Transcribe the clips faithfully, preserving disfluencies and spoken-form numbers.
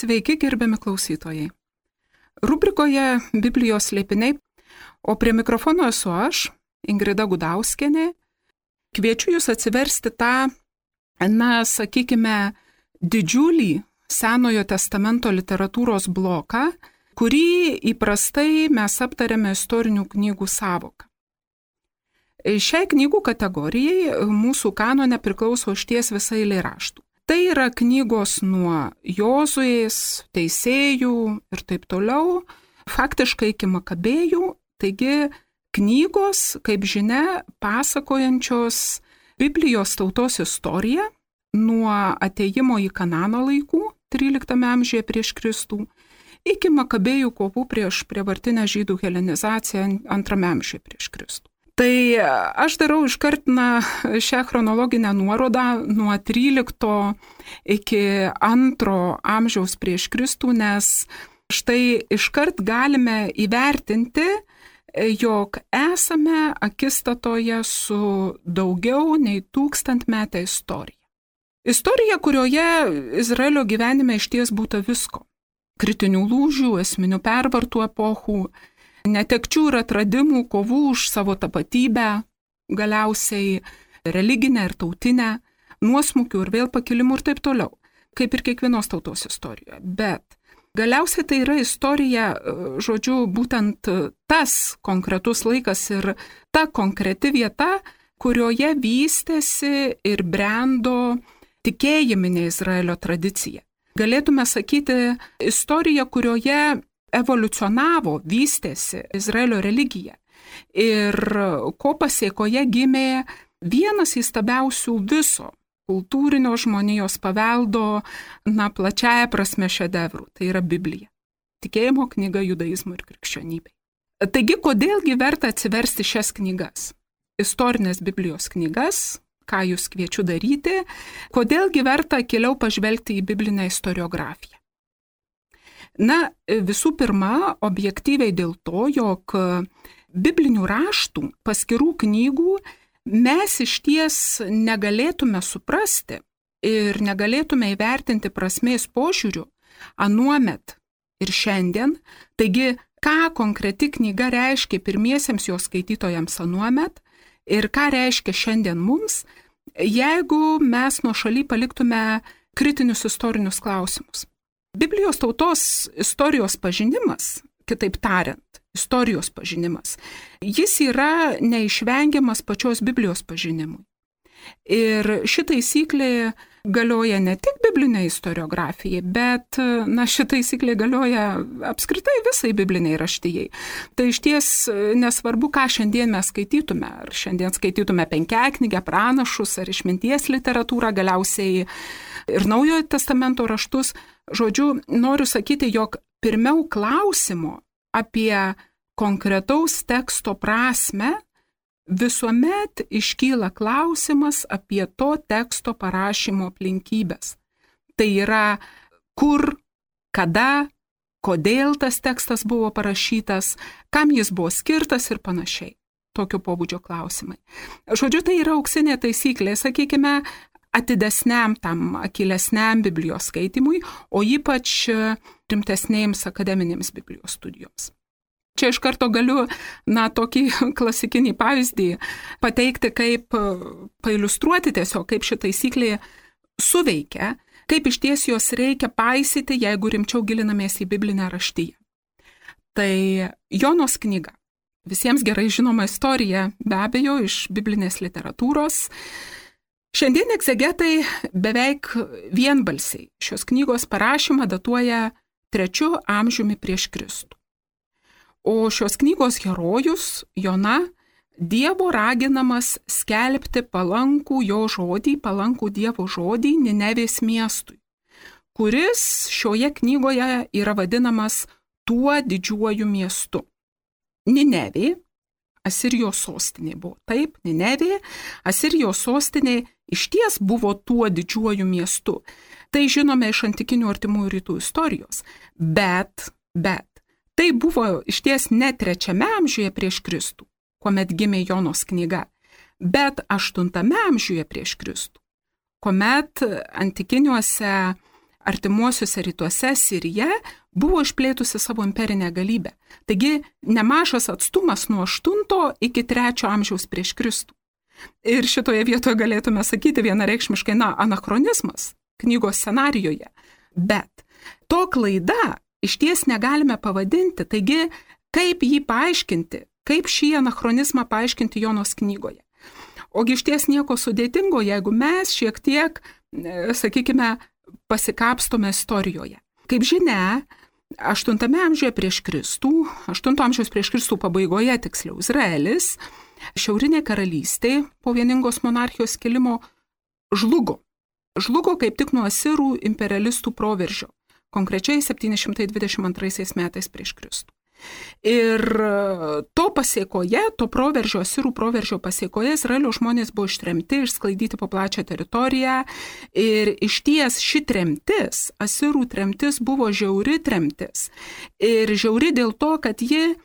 Sveiki, gerbiami klausytojai. Rubrikoje Biblijos slėpiniai, o prie mikrofono esu aš, Ingrida Gudauskienė. Kviečiu jūs atsiversti tą, na, sakykime, didžiulį Senojo testamento literatūros bloką, kurį įprastai mes aptariame istorinių knygų sąvoką. Šiai knygų kategorijai mūsų kanone priklauso išties visa eilė raštų. Tai yra knygos nuo Jozuės, Teisėjų ir taip toliau, faktiškai iki Makabėjų, taigi knygos, kaip žinia, pasakojančios Biblijos tautos istoriją nuo atėjimo į Kanano laikų, tryliktame amžiuje prieš Kristų, iki Makabėjų kovų prieš prievartinę žydų helenizaciją antrame amžiuje prieš Kristų. Tai aš darau iškart na, šią chronologinę nuorodą nuo trylikto iki antro amžiaus prieš Kristų, nes štai iškart galime įvertinti, jog esame akistatoje su daugiau nei tūkstantmetė istorija. Istorija, kurioje Izraelio gyvenime išties būta visko. Kritinių lūžių, esminių pervartų epochų, netekčių ir atradimų, kovų už savo tapatybę, galiausiai religinę ir tautinę, nuosmukių ir vėl pakilimų ir taip toliau, kaip ir kiekvienos tautos istorijoje. Bet galiausiai tai yra istorija, žodžiu, būtent tas konkretus laikas ir ta konkreti vieta, kurioje vystėsi ir brendo tikėjiminė Izraelio tradicija. Galėtume sakyti, istorija, kurioje evoliucionavo, vystėsi Izraelio religija ir ko pasėkoje gimė vienas įstabiausių viso kultūrinio žmonijos paveldo, na, plačiaja prasme šedevrų, tai yra Biblija. Tikėjimo knyga judaizmui ir krikščionybei. Taigi, kodėlgi verta atsiversti šias knygas? Istorinės Biblijos knygas, ką jūs kviečiu daryti, kodėlgi verta giliau pažvelgti į biblinę istoriografiją? Na, visų pirma, objektyviai dėl to, jog biblinių raštų, paskirų knygų mes išties negalėtume suprasti ir negalėtume įvertinti prasmės požiūrių anuomet ir šiandien. Taigi, ką konkreti knyga reiškia pirmiesiems jos skaitytojams anuomet ir ką reiškia šiandien mums, jeigu mes nuošaly paliktume kritinius istorinius klausimus. Biblijos tautos istorijos pažinimas, kitaip tariant, istorijos pažinimas, jis yra neišvengiamas pačios Biblijos pažinimui. Ir ši taisyklė galioja ne tik biblinei istoriografijai, bet na, ši taisyklė galioja apskritai visai bibliniai raštijai. Tai išties nesvarbu, ką šiandien mes skaitytume, ar šiandien skaitytume penkiaknygę, pranašus, ar išminties literatūrą, galiausiai ir Naujojo testamento raštus. Žodžiu, noriu sakyti, jog pirmiau klausimo apie konkretaus teksto prasme visuomet iškyla klausimas apie to teksto parašymo aplinkybės. Tai yra, kur, kada, kodėl tas tekstas buvo parašytas, kam jis buvo skirtas ir panašiai. Tokio pobūdžio klausimai. Žodžiu, tai yra auksinė taisyklė, sakykime, atidesniam tam akylesniam Biblijos skaitimui, o ypač rimtesnėms akademinėms Biblijos studijoms. Čia iš karto galiu, na, tokį klasikinį pavyzdį pateikti, kaip pailiustruoti tiesiog, kaip ši taisyklė suveikia, kaip išties jos reikia paisyti, jeigu rimčiau gilinamės į biblinę raštiją. Tai Jonos knyga. Visiems gerai žinoma istorija, be abejo, iš biblinės literatūros. Šiandien egzegetai beveik vienbalsiai šios knygos parašymą datuoja trečiu amžiumi prieš Kristų. O šios knygos herojus, Jona, Dievo raginamas skelbti palankų jo žodį, palankų Dievo žodį Ninevės miestui, kuris šioje knygoje yra vadinamas tuo didžiuoju miestu. Ninevė, Asirijos sostinė buvo. Taip, Ninevė, Asirijos sostinė išties buvo tuo didžiuoju miestu. Tai žinome iš antikinių artimųjų rytų istorijos. Bet, bet, tai buvo išties ne trečiame amžiuje prieš Kristų, kuomet gimė Jonos knyga, bet aštuntame amžiuje prieš Kristų, kuomet antikiniuose artimuosiuose rytuose Sirija buvo išplėtusi savo imperinę galybę. Taigi nemažas atstumas nuo aštunto iki trečio amžiaus prieš Kristų. Ir šitoje vietoje galėtume sakyti vienareikšmiškai, na, anachronizmas knygos scenarijoje. Bet to klaida išties negalime pavadinti. Taigi, kaip jį paaiškinti, kaip šį anachronizmą paaiškinti Jonos knygoje. Ogi išties nieko sudėtingo, jeigu mes šiek tiek, sakykime, pasikapstome istorijoje. Kaip žinia, aštuntame amžiuje prieš Kristų, aštunto amžiaus prieš Kristų pabaigoje, tiksliau, Izraelis, šiaurinė karalystė po vieningos monarchijos kilimo žlugo. Žlugo kaip tik nuo asirų imperialistų proveržio, konkrečiai septyni šimtai dvidešimt antraisiais metais prieš Kristų. Ir to pasiekoje, to proveržio, asirų proveržio pasiekoje, Izraelio žmonės buvo ištremti, išsklaidyti po plačią teritoriją. Ir išties ši tremtis, asirų tremtis, buvo žiauri tremtis. Ir žiauri dėl to, kad ji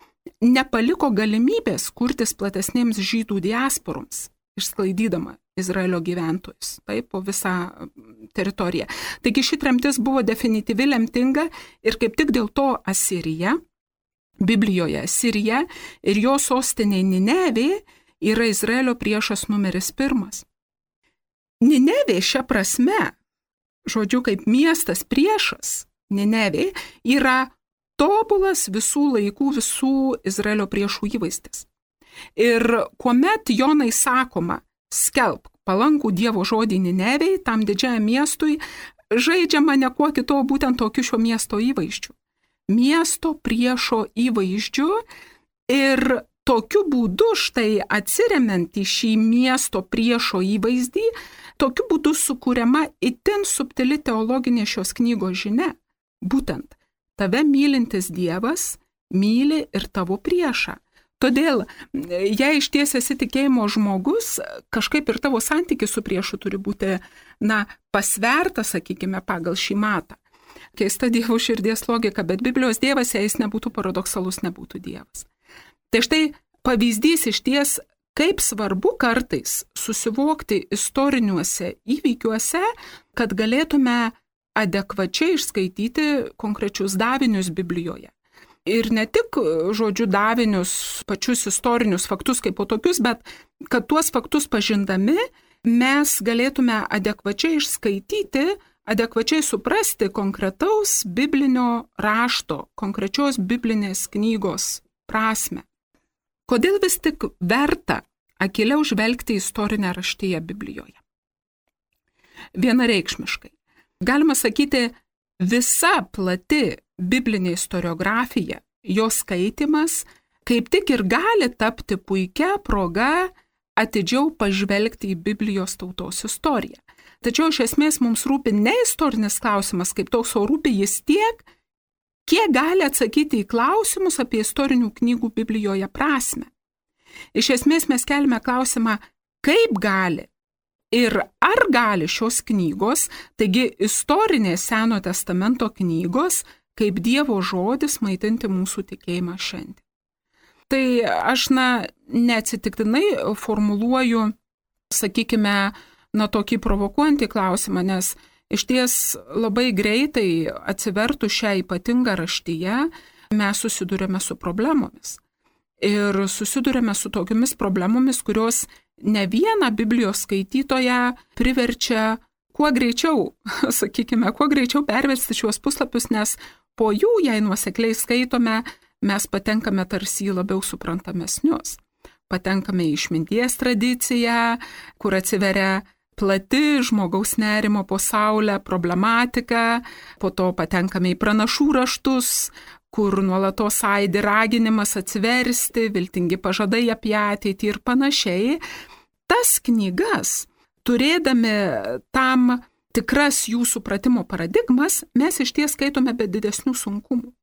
nepaliko galimybės kurtis platesnėms žydų diasporoms, išsklaidydama Izraelio gyventojus, taip, po visą teritoriją. Taigi ši tremtis buvo definityvi, lemtinga ir kaip tik dėl to Asirija, Biblijoje Asirija ir jo sostinė Ninevė yra Izraelio priešas numeris pirmas. Ninevė šia prasme, žodžiu, kaip miestas priešas, Ninevė yra tobulas visų laikų, visų Izraelio priešų įvaizdis. Ir kuomet Jonai sakoma, skelbk palankų Dievo žodį Ninevei, tam didžiajam miestui, žaidžiama ne kuo kito, būtent tokiu šio miesto įvaizdžiu. Miesto priešo įvaizdžiu ir tokiu būdu štai atsiremiant į šį miesto priešo įvaizdį, tokiu būdu sukuriama itin subtili teologinė šios knygos žinia. Būtent, tave mylintis Dievas myli ir tavo priešą. Todėl, jei iš ties esi tikėjimo žmogus, kažkaip ir tavo santykis su priešu turi būti, na, pasvertas, sakykime, pagal šį matą. Keista Dievo širdies logika, bet Biblijos Dievas, jei jis nebūtų paradoksalus, nebūtų Dievas. Tai štai pavyzdys iš ties, kaip svarbu kartais susivokti istoriniuose įvykiuose, kad galėtume adekvačiai išskaityti konkrečius davinius Biblijoje. Ir ne tik, žodžiu, davinius, pačius istorinius faktus kaip po tokius, bet kad tuos faktus pažindami mes galėtume adekvačiai išskaityti, adekvačiai suprasti konkretaus biblinio rašto, konkrečios biblinės knygos prasme. Kodėl vis tik verta akiliau žvelgti istorinę raštiją Biblijoje? Vienareikšmiškai. Galima sakyti, visa plati biblinė istoriografija, jos skaitimas, kaip tik ir gali tapti puikia proga atidžiau pažvelgti į Biblijos tautos istoriją. Tačiau iš esmės mums rūpi ne istorinis klausimas kaip toks, o rūpi jis tiek, kiek gali atsakyti į klausimus apie istorinių knygų Biblijoje prasme. Iš esmės mes kelime klausimą, kaip gali ir ar gali šios knygos, taigi istorinės Senojo testamento knygos, kaip Dievo žodis maitinti mūsų tikėjimą šiandien. Tai aš, na, neatsitiktinai formuluoju, sakykime, na, tokį provokuojantį klausimą, nes iš ties labai greitai atsivertų šią ypatingą raštiją, mes susidurėme su problemomis. Ir susidurėme su tokiamis problemomis, kurios ne vieną Biblijos skaitytoją priverčia kuo greičiau, sakykime, kuo greičiau perversti šiuos puslapius, nes po jų, jei nuosekliai skaitome, mes patenkame tarsi į labiau suprantamesnius. Patenkame į išminties tradiciją, kur atsiveria plati žmogaus nerimo po saulę problematika, po to patenkame į pranašų raštus, kur nuolatos aidi raginimas atsiversti, viltingi pažadai apie ateitį ir panašiai. Tas knygas, turėdami tam tikras jų supratimo paradigmas, mes iš ties skaitome be didesnių sunkumų.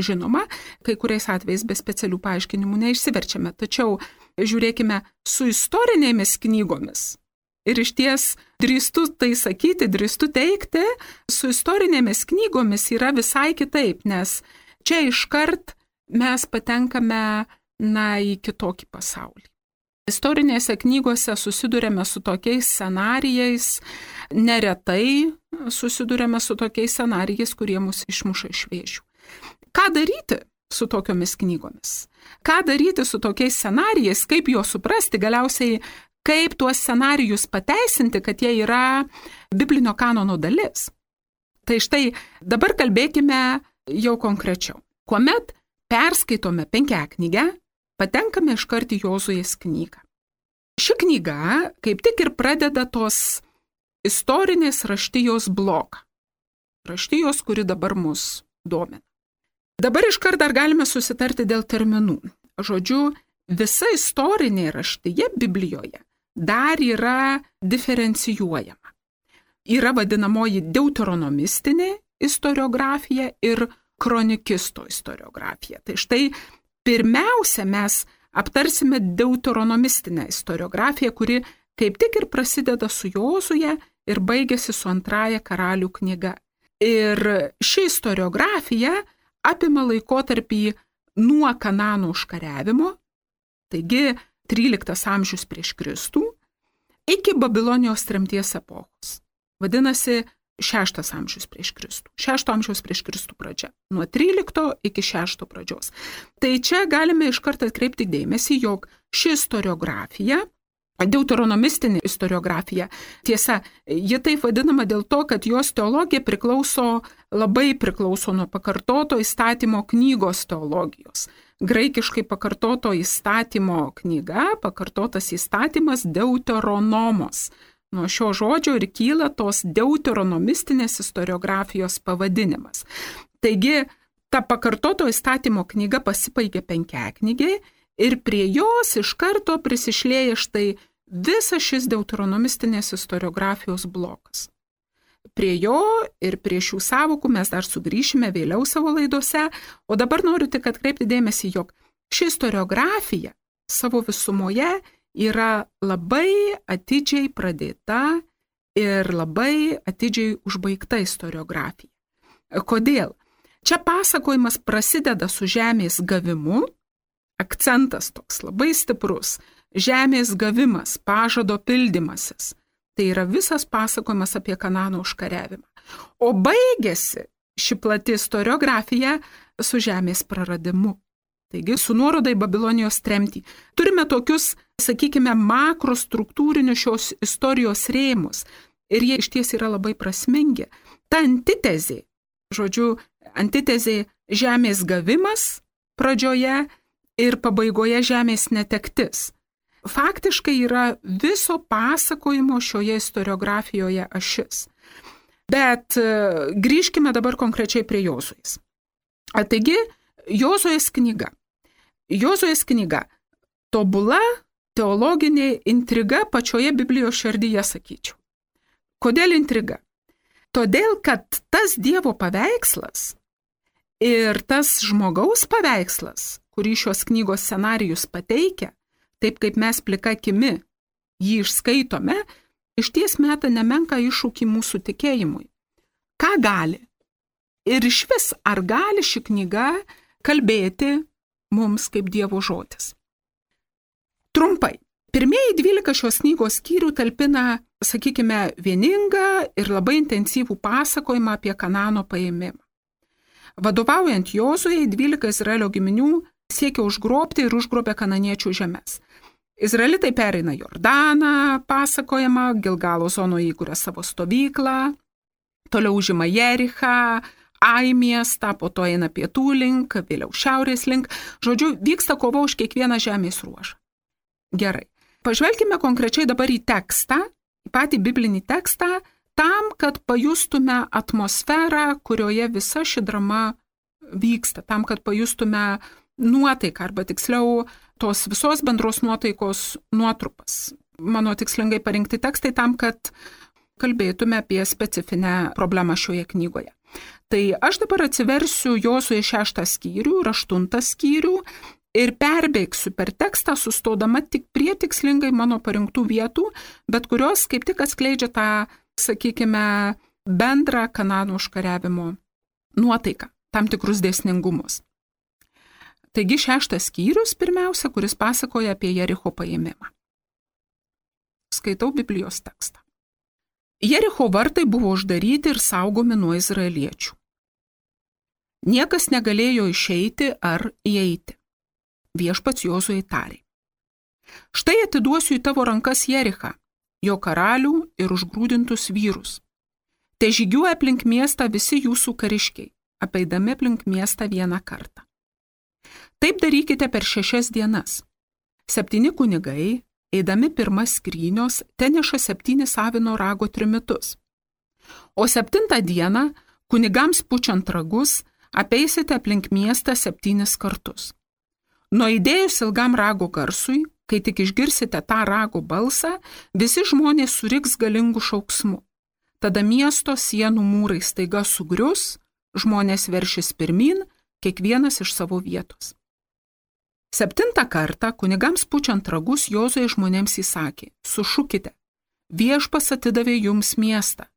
Žinoma, kai kuriais atvejais be specialių paaiškinimų neišsiverčiame, tačiau žiūrėkime su istorinėmis knygomis. Ir iš ties drįstu tai sakyti, drįstu teikti, su istorinėmis knygomis yra visai kitaip, nes čia iškart mes patenkame, na, į kitokį pasaulį. Istorinėse knygose susidurėme su tokiais scenarijais, neretai susidurėme su tokiais scenarijais, kurie mus išmuša iš vėžių. Ką daryti su tokiomis knygomis? Ką daryti su tokiais scenarijais, kaip juos suprasti, galiausiai kaip tuos scenarijus pateisinti, kad jie yra biblinio kanono dalis? Tai štai dabar kalbėkime jau konkrečiau. Kuomet perskaitome penkiaknygę, patenkame iškart į Jozuės knygą. Ši knyga kaip tik ir pradeda tos istorinės raštijos bloką. Raštijos, kuri dabar mus domina. Dabar iškart dar galime susitarti dėl terminų. Žodžiu, visa istorinė raštija Biblijoje dar yra diferencijuojama. Yra vadinamoji deuteronomistinė istoriografija ir kronikisto istoriografija. Tai štai pirmiausia mes aptarsime deuteronomistinę istoriografiją, kuri kaip tik ir prasideda su Jozuje ir baigėsi su antraja karalių knyga. Ir ši istoriografija apima laikotarpį nuo Kanano užkariavimo, taigi tryliktas amžius prieš Kristų, iki Babilonijos tremties epochos. Vadinasi, šeštas amžius prieš Kristų. Šešto amžiaus prieš Kristų pradžia. Nuo trylikto iki šešto pradžios. Tai čia galime iš karto atkreipti dėmesį, jog ši istoriografija, deuteronomistinė istoriografija, tiesa, ji taip vadinama dėl to, kad jos teologija priklauso, labai priklauso nuo pakartoto įstatymo knygos teologijos. Graikiškai pakartoto įstatymo knyga, pakartotas įstatymas deuteronomos. Nuo šio žodžio ir kyla tos deuteronomistinės istoriografijos pavadinimas. Taigi, ta pakartoto įstatymo knyga pasibaigė penkiaknygiai ir prie jos iš karto prisišlėja štai visas šis deuteronomistinės istoriografijos blokas. Prie jo ir prie šių sąvokų mes dar sugrįšime vėliau savo laidose, o dabar noriu tik atkreipti dėmesį, jog ši istoriografija savo visumoje yra labai atidžiai pradėta ir labai atidžiai užbaigta istoriografija. Kodėl? Čia pasakojimas prasideda su žemės gavimu, akcentas toks labai stiprus, žemės gavimas, pažado pildymasis. Tai yra visas pasakojimas apie Kanano užkariavimą. O baigėsi ši plati istoriografija su žemės praradimu. Taigi, su nuoroda į Babilonijos tremtį. Turime tokius, sakykime, makrostruktūrinius šios istorijos rėmus. Ir jie išties yra labai prasmingi. Ta antitezė, žodžiu, antitezė žemės gavimas pradžioje ir pabaigoje žemės netektis. Faktiškai yra viso pasakojimo šioje istoriografijoje ašis. Bet grįžkime dabar konkrečiai prie Jozuės. Taigi, Jozuės knyga. Jozuės knyga – tobula teologinė intriga pačioje Biblijos širdyje, sakyčiau. Kodėl intriga? Todėl, kad tas Dievo paveikslas ir tas žmogaus paveikslas, kurį šios knygos scenarijus pateikia, taip kaip mes plika akimi jį išskaitome, iš ties meta nemenką iššūkį mūsų tikėjimui. Ką gali? Ir iš vis, ar gali ši knyga kalbėti mums kaip Dievo žodis? Trumpai, pirmieji dvylika šios knygos skyrių talpina, sakykime, vieningą ir labai intensyvų pasakojimą apie Kanano paėmimą. Vadovaujant Jozujai, dvylika Izraelio giminių siekia užgrobti ir užgrobė kananiečių žemes. Izraelitai pereina Jordaną, pasakojama, Gilgalo zonoje įkuria savo stovyklą, toliau užima Jerichą, Ai miestą, po to eina pietų link, vėliau šiaurės link. Žodžiu, vyksta kova už kiekvieną žemės ruožą. Gerai. Pažvelkime konkrečiai dabar į tekstą, į patį biblinį tekstą, tam, kad pajustume atmosferą, kurioje visa ši drama vyksta, tam, kad pajustume nuotaiką, arba tiksliau tos visos bendros nuotaikos nuotrupas. Mano tikslingai parinkti tekstai tam, kad kalbėtume apie specifinę problemą šioje knygoje. Tai aš dabar atsiversiu Jozuės šeštą skyrių ir aštuntą skyrių ir perbėgsiu per tekstą, sustodama tik prie tikslingai mano parinktų vietų, bet kurios kaip tik atskleidžia tą, sakykime, bendrą Kanano užkariavimo nuotaiką, tam tikrus dėsningumus. Taigi šeštas skyrius pirmiausia, kuris pasakoja apie Jericho paėmimą. Skaitau Biblijos tekstą. Jericho vartai buvo uždaryti ir saugomi nuo izraeliečių. Niekas negalėjo išeiti ar įeiti. Viešpats Jozuei tarė: štai atiduosiu į tavo rankas Jerichą, jo karalių ir užgrūdintus vyrus. Te žygiuoja aplink miestą visi jūsų kariškiai, apeidami aplink miestą vieną kartą. Taip darykite per šešias dienas. Septyni kunigai, eidami pirmas skrynios, teneša septynis avino rago trimitus. O septintą dieną, kunigams pučiant ragus, apeisite aplink miestą septynis kartus. Nuaidėjus ilgam rago garsui, kai tik išgirsite tą rago balsą, visi žmonės suriks galingų šauksmų. Tada miesto sienų mūrai staiga sugrius, žmonės veršis pirmin, kiekvienas iš savo vietos. Septintą kartą, kunigams pučiant ragus, Jozuė žmonėms įsakė: sušukite, viešpas atidavė jums miestą.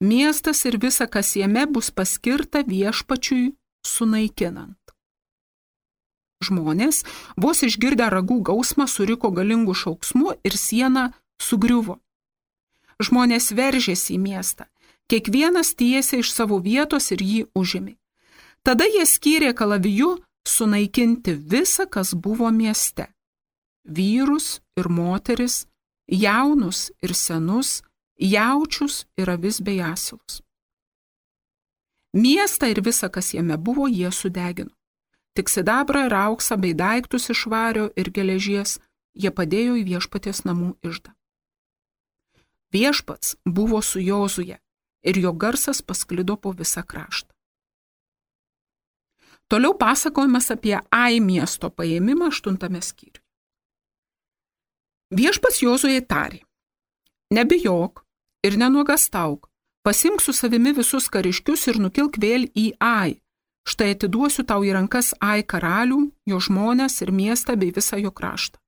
Miestas ir visa, kas jame, bus paskirta viešpačiui sunaikinant. Žmonės, vos išgirdę ragų gausmą, suriko galingų šauksmų ir siena sugriuvo. Žmonės veržėsi į miestą, kiekvienas tiesė iš savo vietos ir jį užėmė. Tada jie skyrė kalaviju sunaikinti visą, kas buvo mieste. Vyrus ir moteris, jaunus ir senus, jaučius ir avis bei asilus. Miestą ir visą, kas jame buvo, jie sudegino. Tik sidabrą ir auksą bei daiktus iš vario ir geležies jie padėjo į viešpaties namų iždą. Viešpats buvo su Jozuje ir jo garsas pasklido po visą kraštą. Toliau pasakojimas apie Ai miesto paėmimą aštuntame skyriuje. Viešpats Jozujai tarė: nebijok ir nenuogastauk, pasimk su savimi visus kariškius ir nukilk vėl į Ai. Štai atiduosiu tau į rankas Ai karalių, jo žmones ir miestą bei visą jo kraštą.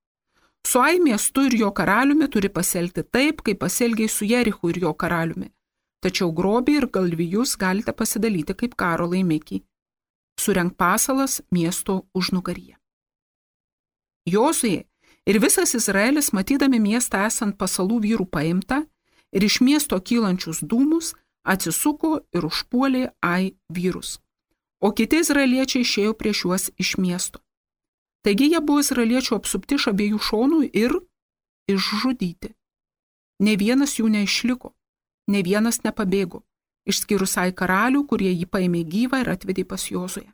Su Ai miestu ir jo karaliumi turi pasielgti taip, kaip pasielgiai su Jerichu ir jo karaliumi. Tačiau grobį ir galvijus galite pasidalyti kaip karo laimikį. Surenk pasalas miesto užnugaryje. Jozuė ir visas Izraelis, matydami miestą esant pasalų vyrų paimtą ir iš miesto kylančius dūmus, atsisuko ir užpuolė Ai vyrus. O kiti izraeliečiai išėjo prieš juos iš miesto. Taigi jie buvo izraeliečių apsupti iš abiejų šonų ir išžudyti. Ne vienas jų neišliko, ne vienas nepabėgo, išskyrus Ai karalių, kurie jį paėmė gyvą ir atvedė pas Jozuę.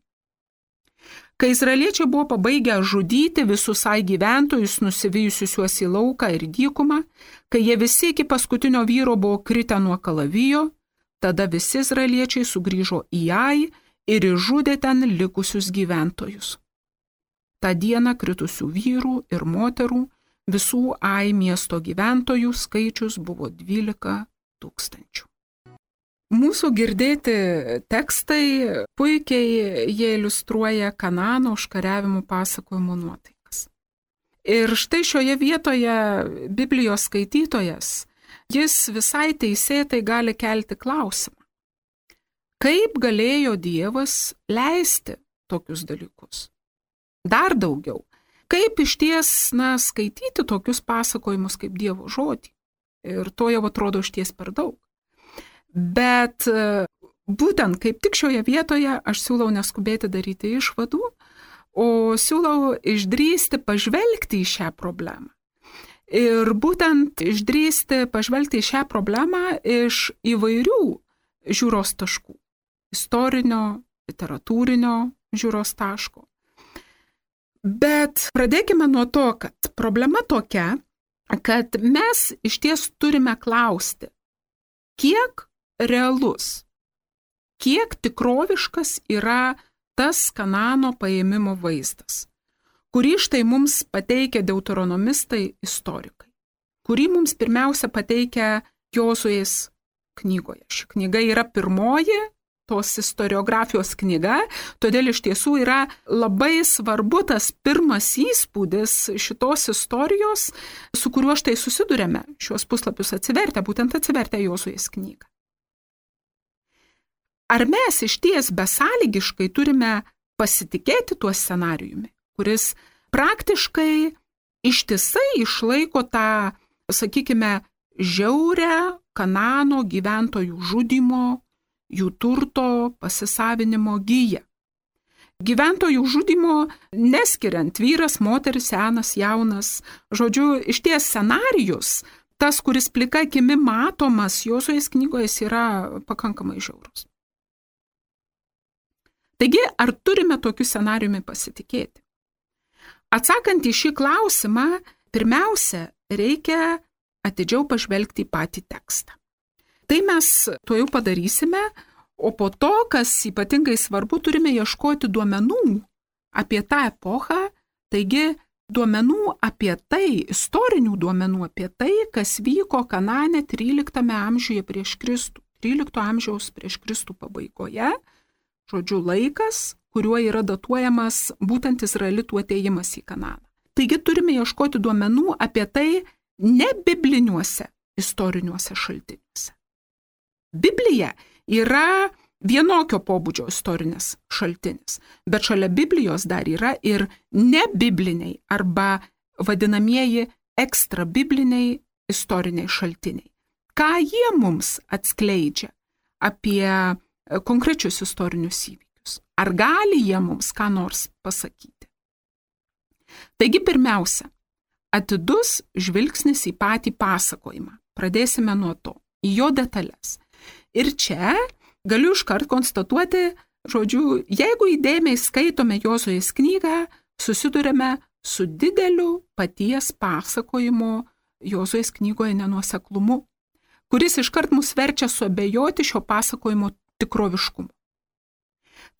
Kai izraeliečiai buvo pabaigę žudyti visus Ai gyventojus, nusivijusius juos į lauką ir dykumą, kai jie visi iki paskutinio vyro buvo kritę nuo kalavijo, tada visi izraeliečiai sugrįžo į Ai ir išžudė ten likusius gyventojus. Ta diena kritusių vyrų ir moterų, visų Ai miesto gyventojų skaičius buvo dvylika tūkstančių. Mūsų girdėti tekstai puikiai jie iliustruoja Kanaano užkariavimų pasakojimo nuotaikas. Ir štai šioje vietoje Biblijos skaitytojas, jis visai teisėtai gali kelti klausimą. Kaip galėjo Dievas leisti tokius dalykus? Dar daugiau, kaip išties, na, skaityti tokius pasakojimus kaip Dievo žodį? Ir to jau atrodo išties per daug. Bet būtent kaip tik šioje vietoje aš siūlau neskubėti daryti išvadų, o siūlau išdrįsti pažvelgti į šią problemą. Ir būtent išdrįsti pažvelgti į šią problemą iš įvairių žiūros taškų. Istorinio, literatūrinio žiūros taško. Bet pradėkime nuo to, kad problema tokia, kad mes iš ties turime klausti, kiek realus, kiek tikroviškas yra tas Kanaano paėmimo vaizdas, kurį štai mums pateikia deuteronomistai istorikai, kurį mums pirmiausia pateikia Jozuės knygoje. Ši knyga yra pirmoji tos istoriografijos knyga, todėl iš tiesų yra labai svarbu tas pirmas įspūdis šitos istorijos, su kuriuo štai susidurėme šios puslapius atsivertę, būtent atsivertę Jozuės knygą. Ar mes iš ties besąlygiškai turime pasitikėti tuo scenarijumi, kuris praktiškai ištisai išlaiko tą, sakykime, žiaurę Kanano gyventojų žudimo, jų turto pasisavinimo giją. Gyventojų žudimo neskiriant vyras, moteris, senas, jaunas. Žodžiu, išties scenarijus, tas, kuris plika akimi matomas Jozuės knygoje, yra pakankamai žiaurus. Taigi, ar turime tokiu scenarijumi pasitikėti? Atsakant į šį klausimą, pirmiausia, reikia atidžiau pažvelgti į patį tekstą. Tai mes tuo jau padarysime, o po to, kas ypatingai svarbu, turime ieškoti duomenų apie tą epochą, taigi duomenų apie tai, istorinių duomenų apie tai, kas vyko Kanane tryliktame amžiuje prieš Kristų, trylikto amžiaus prieš Kristų pabaigoje, žodžiu laikas, kuriuo yra datuojamas būtent izraelitų atėjimas į Kananą. Taigi turime ieškoti duomenų apie tai ne bibliniuose istoriniuose šaltiniuose. Biblija yra vienokio pobūdžio istorinis šaltinis, bet šalia Biblijos dar yra ir nebibliniai arba vadinamieji ekstrabibliniai istoriniai šaltiniai. Ką jie mums atskleidžia apie konkrečius istorinius įvykius? Ar gali jie mums ką nors pasakyti? Taigi pirmiausia, atidus žvilgsnis į patį pasakojimą. Pradėsime nuo to, į jo detalės. Ir čia galiu iškart konstatuoti, žodžiu, jeigu įdėmiai skaitome Jozuės knygą, susidurime su dideliu paties pasakojimo Jozuės knygoje nenuoseklumu, kuris iškart mus verčia suabejoti šio pasakojimo tikroviškumu.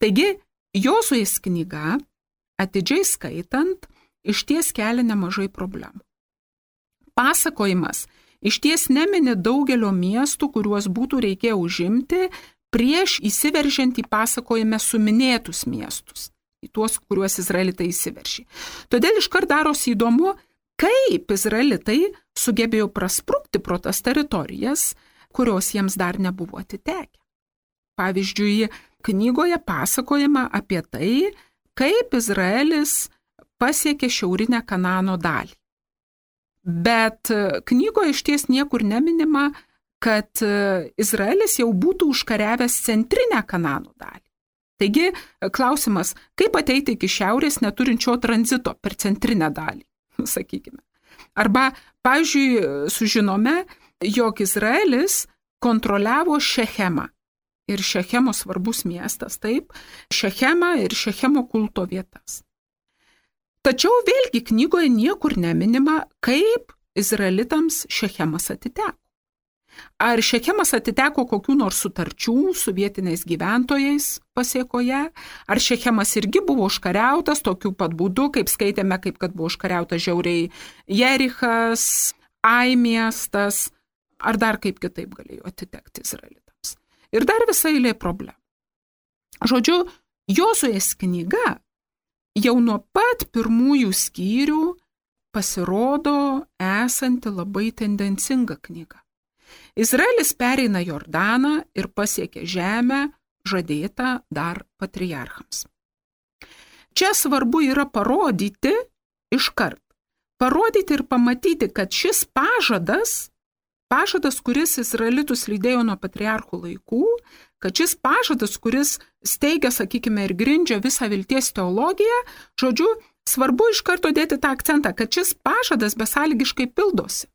Taigi, Jozuės knyga, atidžiai skaitant, išties kelia nemažai problemų. Pasakojimas išties nemini daugelio miestų, kuriuos būtų reikėję užimti prieš įsiveržiant į pasakojime suminėtus miestus, į tuos, kuriuos izraelitai įsiveržė. Todėl iškart darosi įdomu, kaip izraelitai sugebėjo prasprukti pro tas teritorijas, kurios jiems dar nebuvo atitekę. Pavyzdžiui, knygoje pasakojama apie tai, kaip Izraelis pasiekė šiaurinę Kanano dalį. Bet knygoje išties niekur neminima, kad Izraelis jau būtų užkariavęs centrinę Kanano dalį. Taigi, klausimas, kaip ateiti iki šiaurės neturinčio tranzito per centrinę dalį, sakykime. Arba, pavyzdžiui, sužinome, jog Izraelis kontroliavo Šechemą. Ir Šechemo svarbus miestas, taip, Šechemą ir Šechemo kulto vietas. Tačiau vėlgi knygoje niekur neminima, kaip izraelitams Šechemas atiteko. Ar Šechemas atiteko kokių nors sutarčių su vietiniais gyventojais pasiekoje, ar Šechemas irgi buvo užkariautas tokiu pat būdu, kaip skaitėme, kaip kad buvo užkariautas žiauriai Jerichas, Ai miestas, ar dar kaip kitaip galėjo atitekti izraelitams. Ir dar visa eilė problemų. Žodžiu, Jozuės knyga jau nuo pat pirmųjų skyrių pasirodo esanti labai tendencinga knyga. Izraelis pereina Jordaną ir pasiekia žemę žadėtą dar patriarchams. Čia svarbu yra parodyti iškart, parodyti ir pamatyti, kad šis pažadas, pažadas, kuris izraelitus lydėjo nuo patriarchų laikų, kad šis pažadas, kuris steigia, sakykime, ir grindžia visą vilties teologiją, žodžiu, svarbu iš karto dėti tą akcentą, kad šis pažadas besąlygiškai pildosi.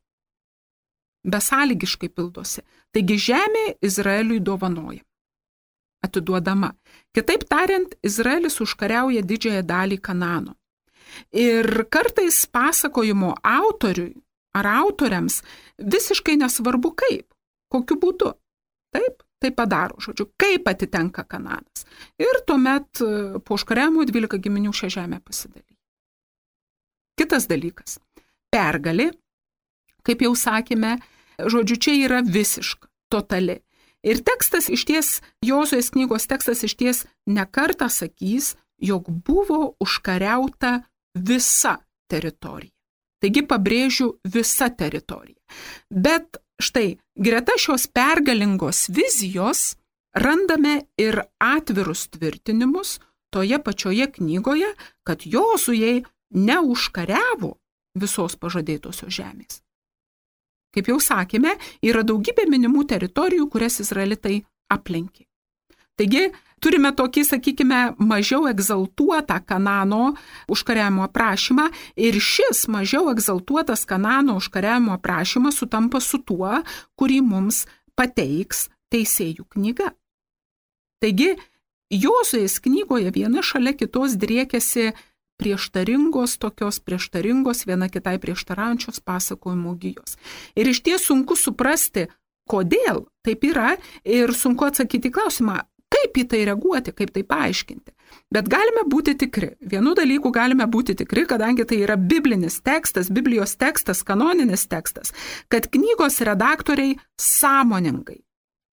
Besąlygiškai pildosi. Taigi žemė Izraeliui dovanoja, atiduodama. Kitaip tariant, Izraelis užkariauja didžiąją dalį Kanano. Ir kartais pasakojimo autoriui ar autoriams visiškai nesvarbu kaip, kokiu būdu. Taip, tai padaro, žodžiu, kaip atitenka Kananas. Ir tuomet po užkariavimo dvylika giminių šią žemę pasidalyja. Kitas dalykas. Pergalė, kaip jau sakėme, žodžiu, čia yra visiška, totali. Ir tekstas išties, Jozuės knygos tekstas išties nekartą sakys, jog buvo užkariauta visa teritorija. Taigi pabrėžiu visa teritorija. Bet štai, greta šios pergalingos vizijos randame ir atvirus tvirtinimus toje pačioje knygoje, kad Jozuė neužkariavo visos pažadėtosios žemės. Kaip jau sakėme, yra daugybė minimų teritorijų, kurias izraelitai aplenkė. Taigi, turime tokį, sakykime, mažiau egzaltuotą Kanano užkariavimo aprašymą ir šis mažiau egzaltuotas Kanano užkariavimo aprašymas sutampa su tuo, kurį mums pateiks Teisėjų knyga. Taigi, Jozuės knygoje viena šalia kitos driekiasi prieštaringos, tokios prieštaringos, viena kitai prieštaraujančios pasakojimo gijos. Ir iš ties sunku suprasti, kodėl taip yra ir sunku atsakyti klausimą, kaip į tai reaguoti, kaip tai paaiškinti. Bet galime būti tikri. Vienu dalyku galime būti tikri, kadangi tai yra biblinis tekstas, Biblijos tekstas, kanoninis tekstas, kad knygos redaktoriai sąmoningai,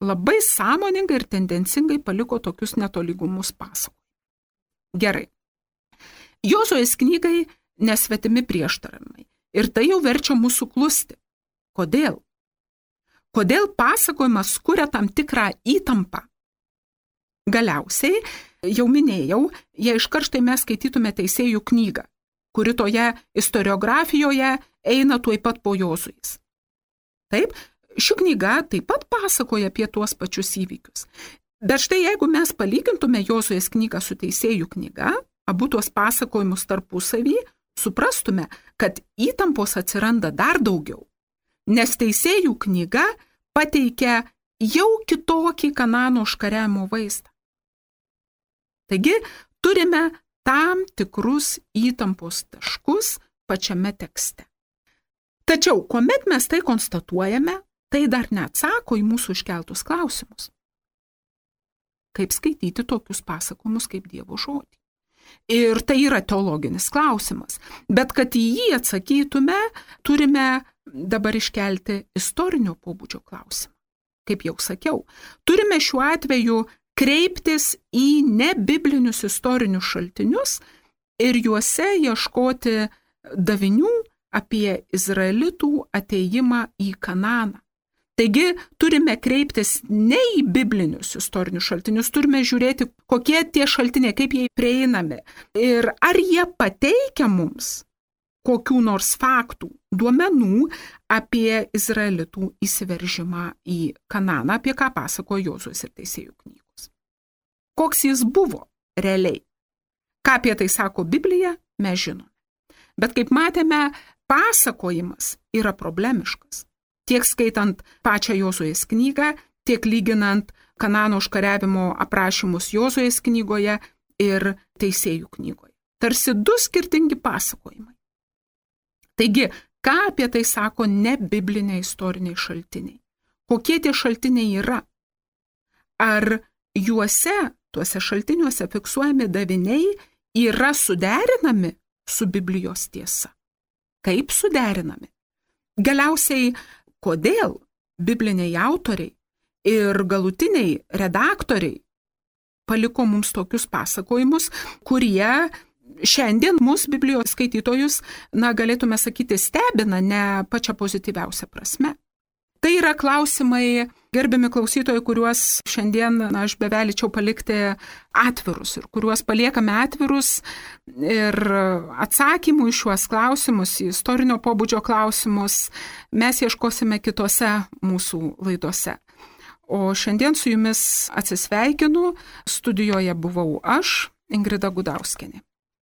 labai sąmoningai ir tendencingai paliko tokius netolygumus pasakojimui. Gerai. Jozuės knygai nesvetimi prieštaravimai. Ir tai jau verčia mūsų klusti. Kodėl? Kodėl pasakojimas kuria tam tikrą įtampą? Galiausiai, jau minėjau, jei iškart štai mes skaitytume Teisėjų knygą, kuri toje istoriografijoje eina tuoj pat po Jozuės. Taip, ši knyga taip pat pasakoja apie tuos pačius įvykius. Bet štai jeigu mes palygintume Jozuės knygą su Teisėjų knyga, abu tuos pasakojimus tarpusavy, suprastume, kad įtampos atsiranda dar daugiau, nes Teisėjų knyga pateikia jau kitokį Kanano užkariavimo vaizdą. Taigi, turime tam tikrus įtampos taškus pačiame tekste. Tačiau, kuomet mes tai konstatuojame, tai dar neatsako į mūsų iškeltus klausimus. Kaip skaityti tokius pasakojimus kaip Dievo žodį? Ir tai yra teologinis klausimas. Bet kad į jį atsakytume, turime dabar iškelti istorinio pobūdžio klausimą. Kaip jau sakiau, turime šiuo atveju kreiptis į nebiblinius istorinius šaltinius ir juose ieškoti davinių apie izraelitų atėjimą į Kananą. Taigi turime kreiptis ne į biblinius istorinius šaltinius, turime žiūrėti, kokie tie šaltiniai, kaip jie prieinami ir ar jie pateikia mums kokių nors faktų, duomenų apie izraelitų įsiveržimą į Kananą, apie ką pasakojo Jozuės ir Teisėjų knygos. Koks jis buvo realiai? Ką apie tai sako Biblija, mes žinome. Bet kaip matėme, pasakojimas yra problemiškas. Tiek skaitant pačią Jozuės knygą, tiek lyginant Kanano užkariavimo aprašymus Jozuės knygoje ir Teisėjų knygoje. Tarsi du skirtingi pasakojimai. Taigi, ką apie tai sako nebibliniai istoriniai šaltiniai? Kokie tie šaltiniai yra? Ar juose, tuose šaltiniuose fiksuojami daviniai yra suderinami su Biblijos tiesa? Kaip suderinami? Galiausiai, kodėl bibliniai autoriai ir galutiniai redaktoriai paliko mums tokius pasakojimus, kurie šiandien mus Biblijos skaitytojus, na, galėtume sakyti, stebina ne pačia pozityviausia prasme. Tai yra klausimai, gerbiami klausytojai, kuriuos šiandien, na, aš bevelyčiau palikti atvirus ir kuriuos paliekame atvirus ir atsakymų į šiuos klausimus, į istorinio pobūdžio klausimus, mes ieškosime kitose mūsų laidose. O šiandien su jumis atsisveikinu, studijoje buvau aš, Ingrida Gudauskienė.